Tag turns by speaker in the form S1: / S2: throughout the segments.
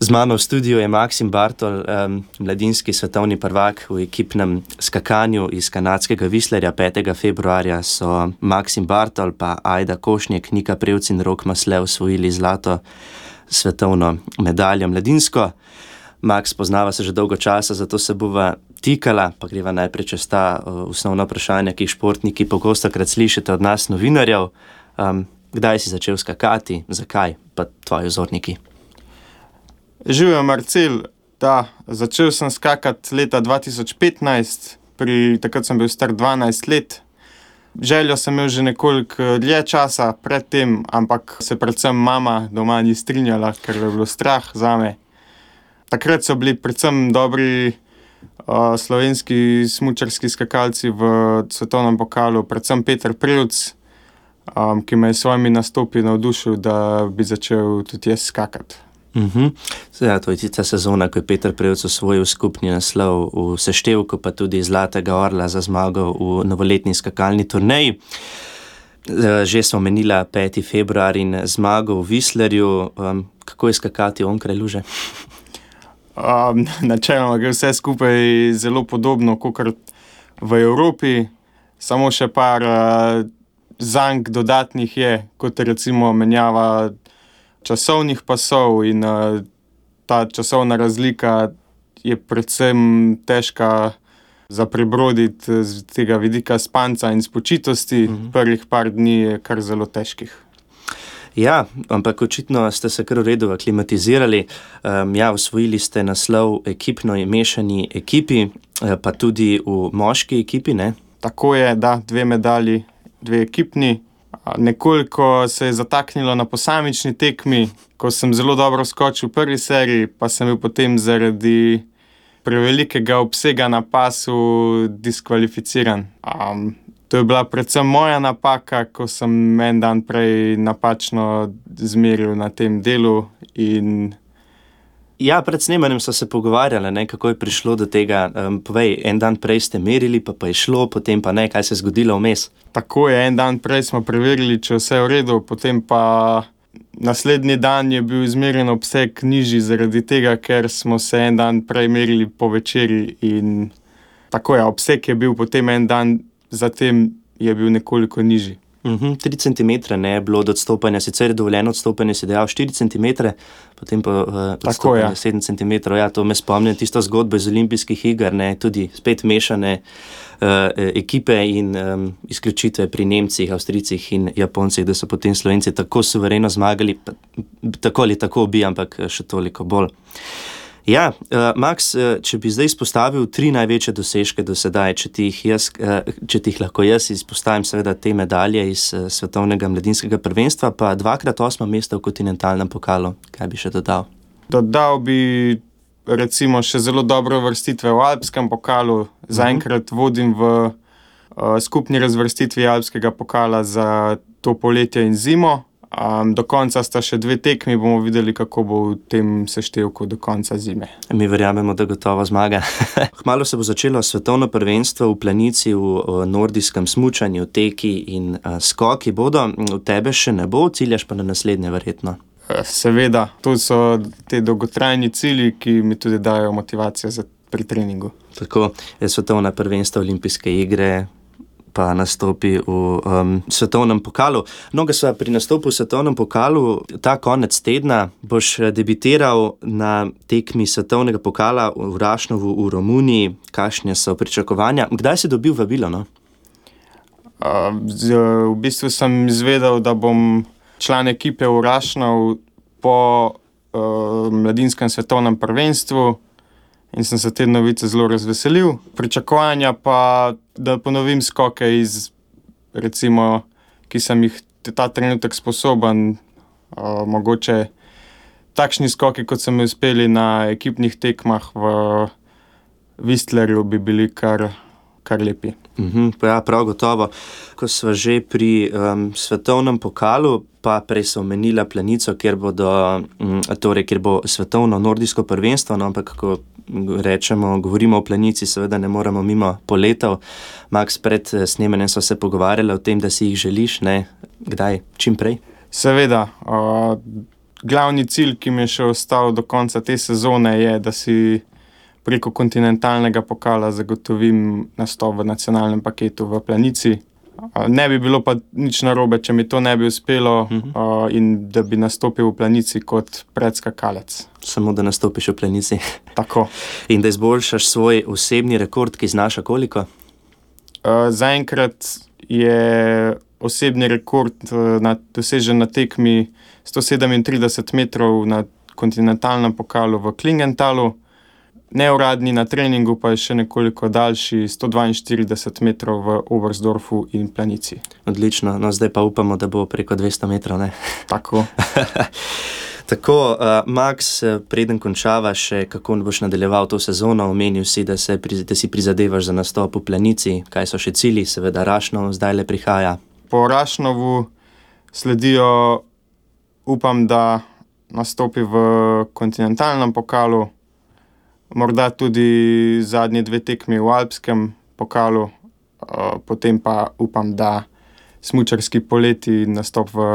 S1: Z mano v studiu je Maksim Bartol, mladinski svetovni prvak v ekipnem skakanju iz kanadskega Whistlerja. 5. februarja so Maksim Bartol pa Ajda Košnjek, Nika Prevc in Rok Masle osvojili zlato svetovno medaljo mladinsko. Maks, poznava se že dolgo časa, zato se bova tikala, pa greva najprej čez ta osnovna vprašanja, ki jih športniki pogostokrat slišite od nas novinarjev. Kdaj si začel skakati, zakaj, pa tvoji vzorniki?
S2: Živjo, Marcel. Da, začel sem skakati leta 2015, takrat sem bil star 12 let. Željo sem imel že nekoliko dlje časa pred tem, ampak se predvsem mama doma ni strinjala, ker je bilo strah zame. Takrat so bili predvsem dobri slovenski smučarski skakalci v svetovnem pokalu, predvsem Peter Prevc, ki me je s svojimi nastopi navdušil, da bi začel tudi jaz skakati.
S1: Ja, to je tista sezona, ko je Peter Prevc osvojil skupni naslov v seštevku, pa tudi Zlatega orla za zmago v novoletni skakalni turneji. Že smo omenila 5. februar in zmago v Whistlerju. Kako je skakati onkraj luže?
S2: Načeloma gre vse skupaj zelo podobno kot v Evropi, samo še par zank dodatnih je, kot recimo menjava časovnih pasov in ta časovna razlika je predvsem težka za prebroditi z tega vidika spanca in spočitosti. Prvih par dni je kar zelo težkih.
S1: Ja, ampak očitno ste se kar v redu aklimatizirali. Osvojili ste naslov ekipno in mešani ekipi, pa tudi v moški ekipi, ne?
S2: Tako je, da, 2 medalji, 2 ekipni. Nekoliko se je zataknilo na posamični tekmi, ko sem zelo dobro skočil v prvi seriji, pa sem bil potem zaradi prevelikega obsega na pasu diskvalificiran. To je bila predvsem moja napaka, ko sem en dan prej napačno zmeril na tem delu in...
S1: Ja, pred snemanjem so se pogovarjali, kako je prišlo do tega. Povej, en dan prej ste merili, pa je šlo, potem pa ne, kaj se je zgodilo vmes?
S2: Tako je, en dan prej smo preverili, če vse v redu, potem pa naslednji dan je bil izmerjen obseg nižji zaradi tega, ker smo se en dan prej merili po večeri in tako je, obseg je bil potem en dan, zatem je bil nekoliko nižji.
S1: 3 centimetre ne je bilo od odstopanja, sicer je dovoljeno odstopanje, si dejal 4 centimetre, potem pa odstopanje 7 centimetrov. Ja, to me spomnim, tisto zgodbo iz olimpijskih iger, ne, tudi spet mešane ekipe in izključitve pri Nemcih, Avstrijcih in Japoncih, da so potem Slovenci tako suvereno zmagali, tako ali tako bi, ampak še toliko bolj. Ja, Maks, če bi zdaj izpostavil 3 največje dosežke do sedaj, če ti jih lahko jaz izpostavim, seveda te medalje iz svetovnega mladinskega prvenstva, pa 2x8 mesta v kontinentalnem pokalu. Kaj bi še dodal?
S2: Dodal bi recimo še zelo dobre uvrstitve v alpskem pokalu. Zaenkrat vodim v skupni razvrstitvi alpskega pokala za to poletje in zimo. Do konca sta še 2 tekmi, bomo videli, kako bo v tem seštevku do konca zime.
S1: Mi verjamemo, da gotovo zmaga. Kmalu se bo začelo svetovno prvenstvo v planici, v nordijskem smučanju, teki in skoki bodo. V tebe še ne bo, ciljaš pa na naslednje verjetno.
S2: Seveda, to so te dolgotrajni cilji, ki mi tudi dajo motivacijo pri treningu.
S1: Tako, svetovna prvenstva, olimpijske igre, pa nastopi v svetovnem pokalu. No, ga sva pri nastopu v svetovnem pokalu ta konec tedna. Boš debitiral na tekmi svetovnega pokala v Rašnovu v Romuniji. Kakšne so pričakovanja? Kdaj si dobil vabilo, no?
S2: V bistvu sem izvedel, da bom član ekipe v Rašnov po mladinskem svetovnem prvenstvu in sem se te novice zelo razveselil. Pričakovanja pa, da ponovim skoke iz, recimo, ki sem jih ta trenutek sposoben, mogoče takšni skoki, kot so mi uspeli na ekipnih tekmah v Whistlerju, bi bili kar lepi.
S1: Ja, prav gotovo. Ko sva že pri svetovnem pokalu, pa prej so omenila planico, kjer bo svetovno nordijsko prvenstvo, no, ampak ko govorimo o planici, seveda ne moremo mimo poletov. Maks, pred snemanjem so se pogovarjali o tem, da si jih želiš, ne? Kdaj? Čim prej?
S2: Seveda. glavni cilj, ki mi je še ostal do konca te sezone, je, da si preko kontinentalnega pokala zagotovim nastop v nacionalnem paketu v Planici. Ne bi bilo pa nič narobe, če mi to ne bi uspelo in da bi nastopil v Planici kot predskakalec.
S1: Samo da nastopiš v Planici.
S2: Tako.
S1: In da izboljšaš svoj osebni rekord, ki znaša koliko?
S2: Zaenkrat je osebni rekord dosežen na tekmi 137 metrov na kontinentalnem pokalu v Klingentalu. Neuradni na treningu pa je še nekoliko daljši, 142 metrov v Oberstdorfu in Planici.
S1: Odlično, no zdaj pa upamo, da bo preko 200 metrov, ne?
S2: Tako.
S1: Tako, Max, preden končava še, kako boš nadaljeval to sezono, omenil si, da si prizadevaš za nastop v Planici. Kaj so še cilji? Seveda Rašnov zdaj le prihaja.
S2: Po Rašnovu sledijo, upam, da nastopi v kontinentalnem pokalu, morda tudi zadnji 2 tekmi v alpskem pokalu, potem pa upam, da smučarski poleti nastop v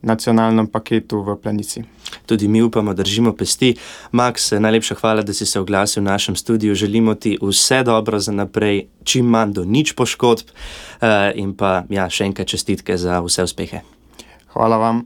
S2: nacionalnem paketu v Planici.
S1: Tudi mi upamo, držimo pesti. Max, najlepša hvala, da si se oglasil v našem studiu. Želimo ti vse dobro za naprej, čim manj do nič poškodb in pa še enkrat čestitke za vse uspehe.
S2: Hvala vam.